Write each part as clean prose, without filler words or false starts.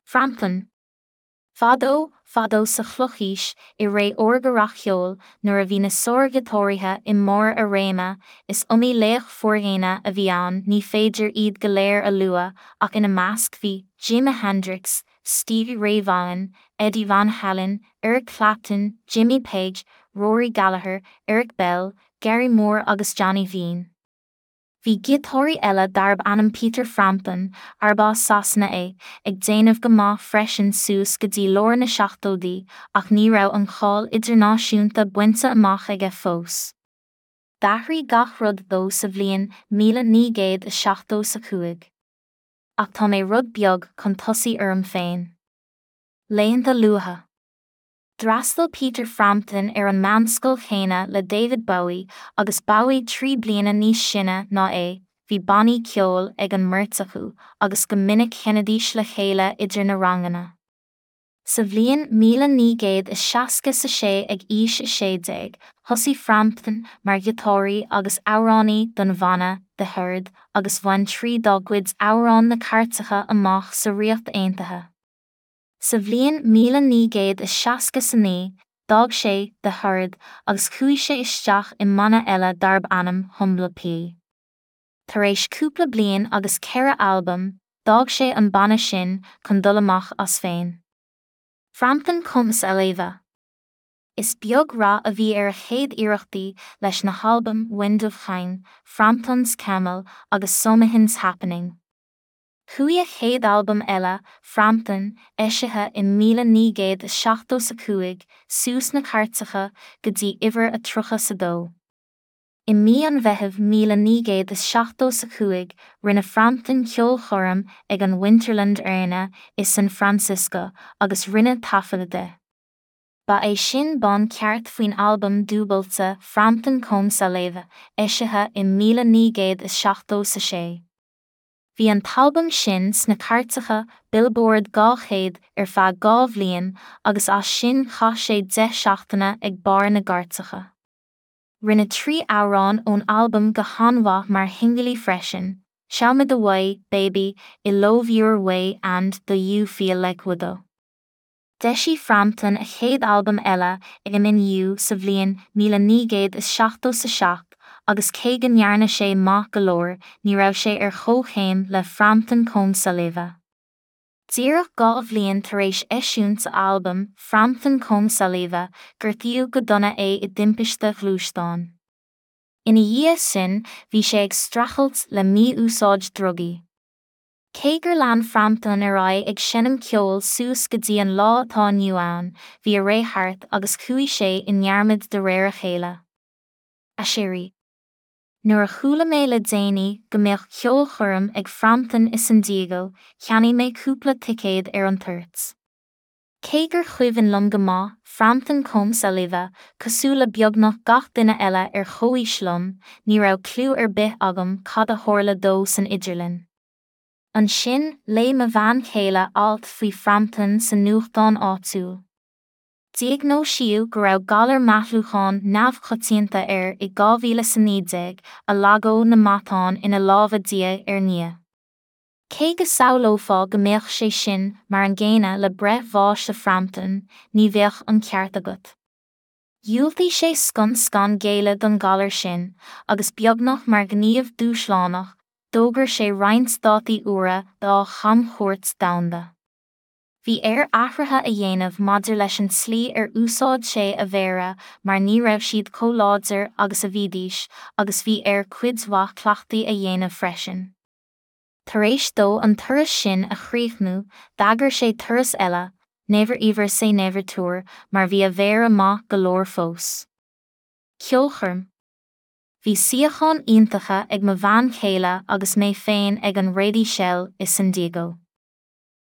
Frampton. Fadó, fadó sa chlochaois, i ré órga rac-cheoil, nuair a bhí na sár-ghiotáraithe i mbarr a réime, is iomaí laoch fóirdheona a bhí ann, ní féidir iad go léir a lua, ach ina measc bhí, Jimi Hendrix, Stevie Ray Vaughan, Eddie Van Halen, Eric Clapton, Jimmy Page, Rory Gallagher, Eric Bell, Gary Moore agus Johnny Vaughan. Bhí giotáraí eile darb ainm Peter Frampton, arb as Sasana é, ag déanamh go maith freisin suas go dtí lár na seachtóidí ach ní raibh an cháil idirnáisiúnta bainte amach aige fós. D'athraigh gach rud dó sa bhliain 1975. Ach tá mé rud beag chun tosaigh orm féin. Laethanta luatha. D'fhreastail Peter Frampton ar an meánscoil chéanna le David Bowie, agus Bowie 3 bliana níos sine ná é, bhí bannaí ceoil ag an mbeirt acu, agus go minic sheinnidís le chéile idir na ranganna. Sa bhliain 1966 ag aois 16, thosaigh Frampton mar ghiotáraí agus amhránaí don bhanna The Herd agus bhain 3 dá gcuid amhrán na cairteacha amach sa Ríocht Aontaithe. Sa bhliain 1969, d'fhág sé The Herd agus chuaigh sé isteach i mbanna eile darb ainm Humble Pie. Tar éis cúpla bliain agus 4 albam, d'fhág sé an banna sin chun dul amach as féin. Frampton Comes Alive. Is beag rath a bhí ar a chéad iarrachtaí leis na halbaim Wind of Change, Frampton's Camel agus Something's Happening. Chuaigh a chéad albam eile, Frampton, eisithe i 1975, suas na cairteacha go dtí uimhir a 32. I mí an Mheithimh 1975 rinne Frampton ceolchoirm ag an Winterland Arena i San Francisco agus rinneadh taifeadadh de. Ba é sin bonn ceart faoin albam dúbailte Frampton Comes Alive, eisithe i 1976. Bhí an t-albam sin sna cairteacha Billboard 200 ar feadh 2 bhliain agus as sin chaith sé 10 seachtaine ag barr na gcairteacha. Rinne 3 amhrán ón albam go han-mhaith mar shingilí freisin, Show Me The Way, Baby, I Love Your Way and Do You Feel Like We Do. D'eisigh Frampton a chéad albam eile I'm In You sa bhliain 1977 agus cé go ndearna sé maith go leor ní raibh sé ar chomhchéim le Frampton Comes Alive. Díreach 2 bhliain tar éis eisiúint a albaim Frampton Comes Alive gortaíodh go dona é i dtimpiste ghluaisteáin. Ina dhiaidh sin bhí sé ag streachailt le mí-úsáid drugaí. Cé gur lean Frampton ar aghaidh ag seinm ceoil suas go dtí an lá atá inniu ann, bhí a ré thart agus chuaigh sé i ndearmad de réir a chéile. Aiséirí. Nuair a chuala mé le déanaí go mbeadh ceolchoirm ag Frampton i San Diego, cheannaigh mé cúpla ticéad ar an toirt. Cé gur chuimhin liom go maith Frampton Comes Alive, cosúil le beagnach gach duine eile ar chomhaois liom, ní raibh cliú ar bith agam cad a tharla dó san idirlinn. Ansin, léigh mo bhean chéile alt faoi Frampton sa nuachtán áitiúil. Diagnóisíodh go raibh galar meathlúcháin neamhchoitianta air i 2019, a lagódh na matáin ina lámha diaidh ar ndiaidh. Cé go samhlófá go mbeadh sé sin mar an gcéanna le breith bháis do Frampton, ní bheadh an ceart agat. Dhiúltaigh sé scun scan géilleadh don ghalar sin, agus beagnach mar ghníomh dúshlánach, d'fhógair sé roinnt dátaí úra dá chamchuairt domhanda. Bhí air athruithe a dhéanamh maidir leis an tslí ar úsáid sé a mhéara mar ní raibh siad chomh láidir agus a bhídís agus bhí air cuid mhaith cleachtaidh a dhéanamh freisin. Tar éis dó an turas sin a chríochnú, d'eagair sé turas eile, Never Ever Say Never Tour, mar bhí a mhéara maith go leor fós. Ceolchoirm. Bhí suíocháin iontacha ag mo bhean chéile agus mé féin ag an Rady Shell i San Diego.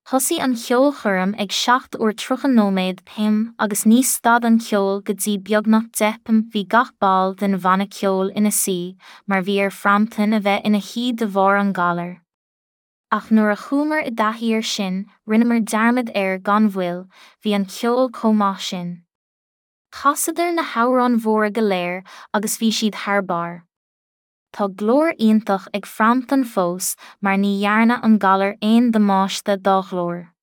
Thosaigh an cheolchoirm ag 7 uair 30 nóiméad pm agus ní stad an ceol go dtí beagnach 10 pm bhí gach ball den bhanna ceoil ina suí mar bhí ar Frampton a bheith ina shuí de bharr an ghalair. Ach nuair a chuamar i dtaithí air sin rinneamar dearmad air gan mhoill, bhí an ceol chomh maith sin. Chasadar na hamhráin mhóra go léir agus bhí siad thar barr. Tá glór iontach ag Frampton fós mar ní dhearna an galar aon damáiste dá ghlór.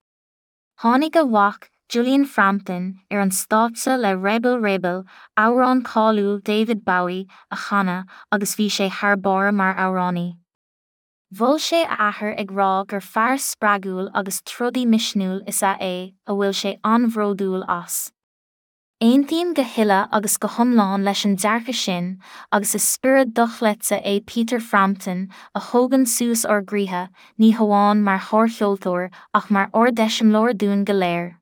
Tháinig a mhac, Julian Frampton, ar an stáitse le Rebel Rebel, amhrán cáiliúil David Bowie, a chanadh agus bhí sé thar barr mar amhránaí. Mhol sé a athair ag rá gur fear spreagúil agus trodaí misniúil is ea é a bhfuil sé an-bhródúil as. Aontaím go huile agus go hiomlán leis an dearcadh sin agus is spiorad dochreidte é Peter Frampton a thógann suas ár gcroíthe, ní hamháin mar shárcheoltóir ach mar ardeiseamláir dúinn go léir.